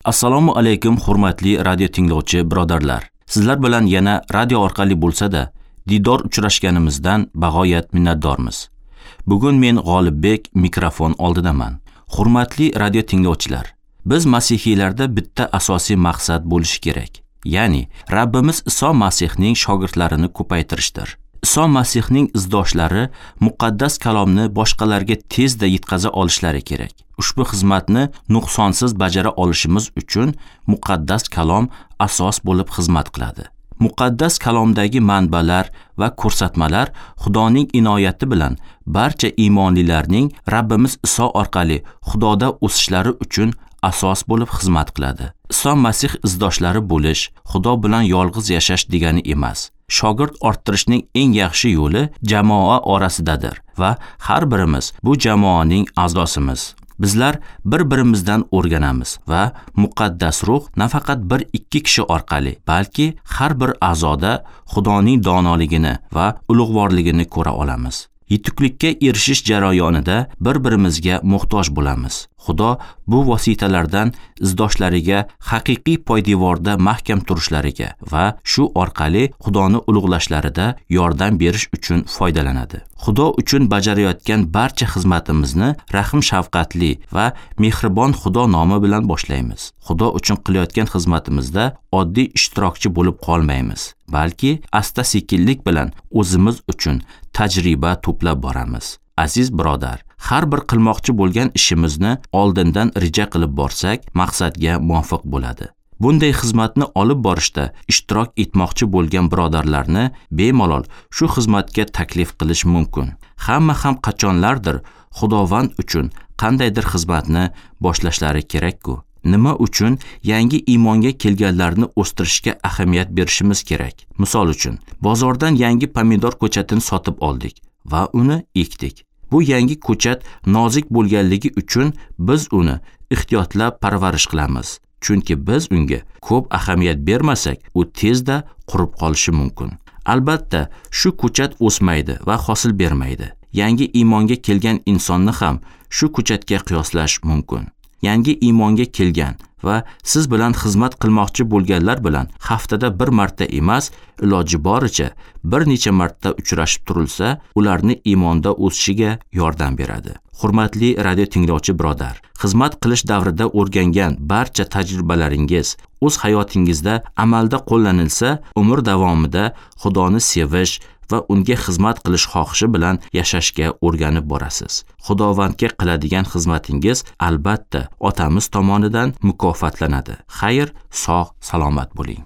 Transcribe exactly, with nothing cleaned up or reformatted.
Assalomu alaykum hurmatli radio tinglovchi birodarlar. Sizlar bilan yana radio orqali bo'lsa-da diydor uchrashganimizdan bag'oyat minnatdormiz. Bugun men G'olibbek mikrofon oldidaman. Hurmatli radio tinglovchilar, biz masihiylarda bitta asosiy maqsad bo'lishi kerak. Ya'ni Rabbimiz Iso Masihning shogirdlarini ko'paytirishdir. Iso Masihning izdoshlari muqaddas kalomni boshqalarga tezda yetkaza olishlari kerak. Ushbu xizmatni nuqsonsiz bajara olishimiz uchun muqaddas kalom asos bo'lib xizmat qiladi. Muqaddas kalomdagi manbalar va ko'rsatmalar Xudoning inoyati bilan barcha iymonlilarning Rabbimiz Iso orqali Xudoda o'sishlari uchun asos bo'lib xizmat qiladi. Iso Masih izdoshlari bo'lish, Xudo bilan yolg'iz yashash degani emas. Shogird orttirishning eng yaxshi yo'li jamoa orasidadir va har birimiz bu jamoaning a'zosimiz. Bizlar bir-birimizdan o'rganamiz va muqaddas ruh nafaqat bir ikki kishi orqali, balki har bir a'zoda Xudoning donoligini va ulug'vorligini ko'ra olamiz. Yetuklikka erishish jarayonida bir-birimizga muhtoj bo'lamiz. Xudo bu vositalardan izdoshlariga haqiqiy poydevorda mahkam turishlariga va shu orqali Xudoni ulug'lashlarida yordam berish uchun foydalanadi. Xudo uchun bajarayotgan barcha xizmatimizni rahm-shafqatli va mehribon Xudo nomi bilan boshlaymiz. Xudo uchun qilayotgan xizmatimizda oddiy ishtirokchi bo'lib qolmaymiz, balki asta-sekinlik bilan o'zimiz uchun tajriba to'plab boramiz. Aziz birodar, har bir qilmoqchi bo'lgan ishimizni oldindan reja qilib borsak, maqsadga muvofiq bo'ladi. Bunday xizmatni olib borishda ishtirok etmoqchi bo'lgan birodarlarni bemalol shu xizmatga taklif qilish mumkin. Hamma ham qachonlardir Xudovand uchun qandaydir xizmatni boshlashlari kerak-ku. Nima uchun yangi iymonga kelganlarni o'stirishga ahamiyat berishimiz kerak? Misol uchun, bozordan yangi pomidor ko'chatini sotib oldik va uni ekdik. Bu yangi ko'chat nozik bo'lganligi uchun biz uni ehtiyotlab parvarish qilamiz. Chunki biz unga ko'p ahamiyat bermasak, u tezda qurib qolishi mumkin. Albatta, shu ko'chat o'smaydi va hosil bermaydi. Yangi iymonga kelgan insonni ham shu ko'chatga qiyoslash mumkin. Yangi iymonga kelgan va siz bilan xizmat qilmoqchi bo'lganlar bilan haftada bir marta emas, iloji boricha bir necha marta uchrashib turilsa, ularni iymonda o'sishiga yordam beradi. Hurmatli radio tinglovchi birodar, xizmat qilish davrida o'rgangan barcha tajribalaringiz o'z hayotingizda amalda qo'llanilsa, umr davomida Xudoni sevish va unga xizmat qilish xohishi bilan yashashga o'rganib borasiz. Xudovandga qiladigan xizmatingiz albatta Otamiz tomonidan mukofotlanadi. Xayr, sog', salomat bo'ling.